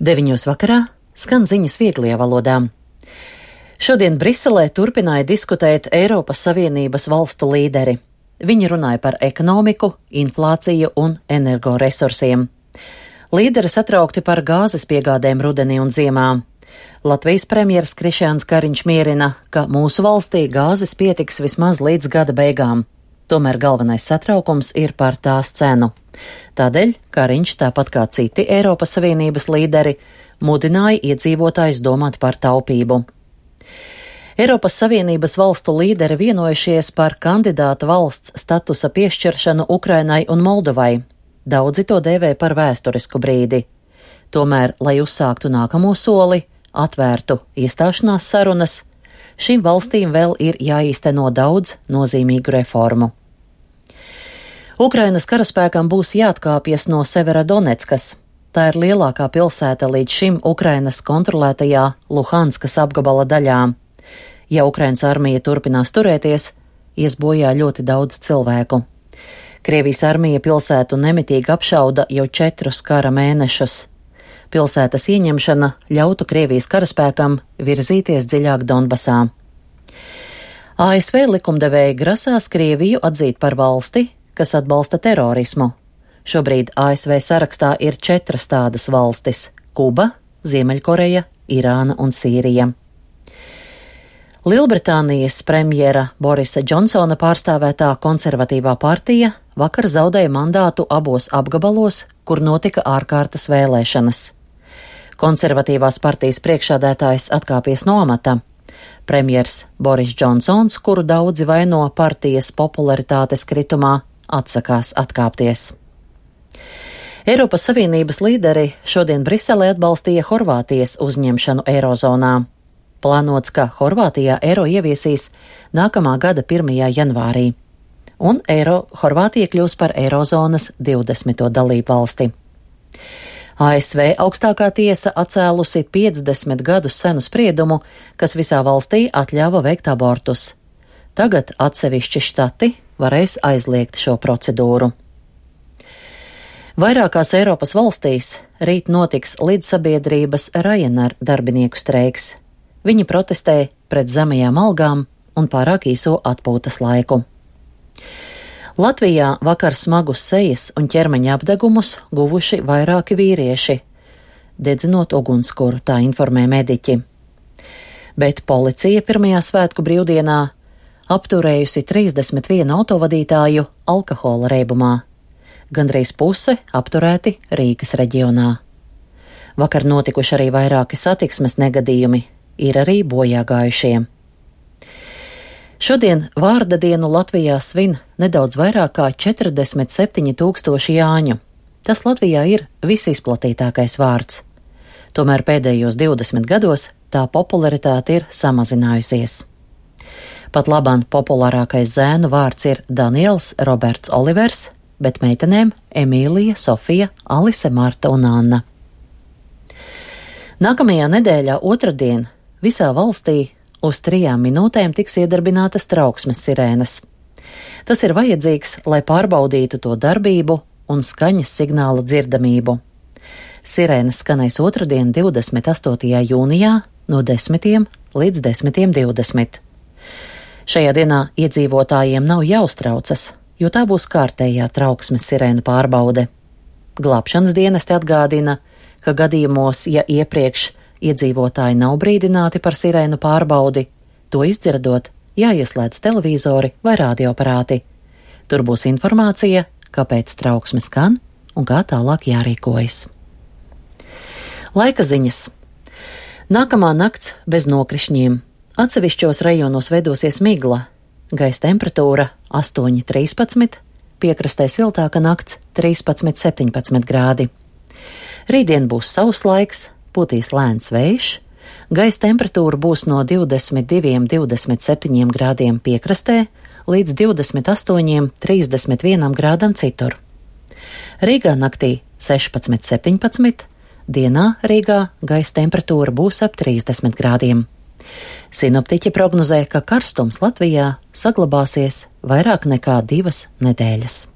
9 vakarā skan ziņas vieglajā valodā. Šodien Briselē turpināja diskutēt Eiropas Savienības valstu līderi. Viņi runāja par ekonomiku, inflāciju un energoresursiem. Līderi satraukti par gāzes piegādēm rudenī un ziemā. Latvijas premjeras Krišjāns Kariņš mierina, ka mūsu valstī gāzes pietiks vismaz līdz gada beigām. Tomēr galvenais satraukums ir par tās cenu. Tādēļ Kariņš, tāpat kā citi Eiropas Savienības līderi, mudināja iedzīvotājus domāt par taupību. Eiropas Savienības valstu līderi vienojušies par kandidāta valsts statusa piešķiršanu Ukrainai un Moldovai. Daudzi to dēvē par vēsturisku brīdi. Tomēr, lai uzsāktu nākamo soli, atvērtu iestāšanās sarunas, šīm valstīm vēl ir jāīsteno daudz nozīmīgu reformu. Ukrainas karaspēkam būs jāatkāpjas no Severodoneckas. Tā ir lielākā pilsēta līdz šim Ukrainas kontrolētajā Luhanskas apgabala daļā. Ja Ukrainas armija turpinās turēties, ies bojā ļoti daudz cilvēku. Krievijas armija pilsētu nemitīgi apšauda jau 4 kara mēnešus. Pilsētas ieņemšana ļautu Krievijas karaspēkam virzīties dziļāk Donbasā. ASV likumdevēji grasās Krieviju atzīt par valsti, kas atbalsta terorismu. Šobrīd ASV sarakstā ir 4 tādas valstis – Kuba, Ziemeļkoreja, Irāna un Sīrija. Lielbritānijas premjera Borisa Džonsona pārstāvētā konservatīvā partija vakar zaudēja mandātu abos apgabalos, kur notika ārkārtas vēlēšanas. Konservatīvās partijas priekšādētājs atkāpies no amata. Premjers Boris Džonsons, kuru daudzi vaino partijas popularitātes kritumā, atsakās atkāpties. Eiropas Savienības līderi šodien Briselē atbalstīja Horvātijas uzņemšanu Eirozonā. Plānots, ka Horvātijā eiro ieviesīs nākamā gada 1. janvārī, un Horvātija kļūs par Eirozonas 20. dalību valsti. ASV augstākā tiesa atcēlusi 50 gadus senu spriedumu, kas visā valstī atļāva veikt abortus. Tagad atsevišķi štati varēs aizliegt šo procedūru. Vairākās Eiropas valstīs rīt notiks līdzsabiedrības Ryanair darbinieku streiks. Viņi protestē pret zemajām algām un pārāk īso atpūtas laiku. Latvijā vakar smagus sejas un ķermeņa apdegumus guvuši vairāki vīrieši, dedzinot ugunskura, tā informē mediķi. Bet policija pirmajā svētku brīvdienā apturējusi 31 autovadītāju alkohola reibumā. Gandrīz puse apturēti Rīgas reģionā. Vakar notikuši arī vairāki satiksmes negadījumi, ir arī bojāgājušie. Šodien vārda dienu Latvijā svin nedaudz vairāk kā 47 000 Jāņu. Tas Latvijā ir visizplatītākais vārds. Tomēr pēdējos 20 gados tā popularitāte ir samazinājusies. Pat labāk populārākais zēnu vārds ir Daniels Roberts Olivers, bet meitenēm Emīlija, Sofija, Alise, Marta un Anna. Nākamajā nedēļā otrdien visā valstī uz 3 minūtēm tiks iedarbinātas trauksmes sirēnas. Tas ir vajadzīgs, lai pārbaudītu to darbību un skaņas signāla dzirdamību. Sirēnas skanēs otrdien 28. jūnijā no 10 līdz 10:20. Šajā dienā iedzīvotājiem nav jāuztraucas, jo tā būs kārtējā trauksmes sirēnu pārbaude. Glābšanas dienesti atgādina, ka gadījumos, ja iepriekš iedzīvotāji nav brīdināti par sirēnu pārbaudi, to izdzirdot, jāieslēdz televizori vai radioaparāti. Tur būs informācija, kāpēc trauksme skan un kā tālāk jārīkojas. Laika ziņas. Nākamā nakts bez nokrišņiem. Atsevišķos rajonos veidosies migla. Gaisa temperatūra 8–13, piekrastē siltāka nakts 13–17 grādi. Rītdien būs sauss laiks, pūtīs lēns vējš, gaisa temperatūra būs no 22–27 grādiem piekrastē līdz 28–31 grādam citur. Rīgā naktī 16–17, dienā Rīgā gaisa temperatūra būs ap 30 grādiem. Sinoptiķi prognozē, ka karstums Latvijā saglabāsies vairāk nekā 2 nedēļas.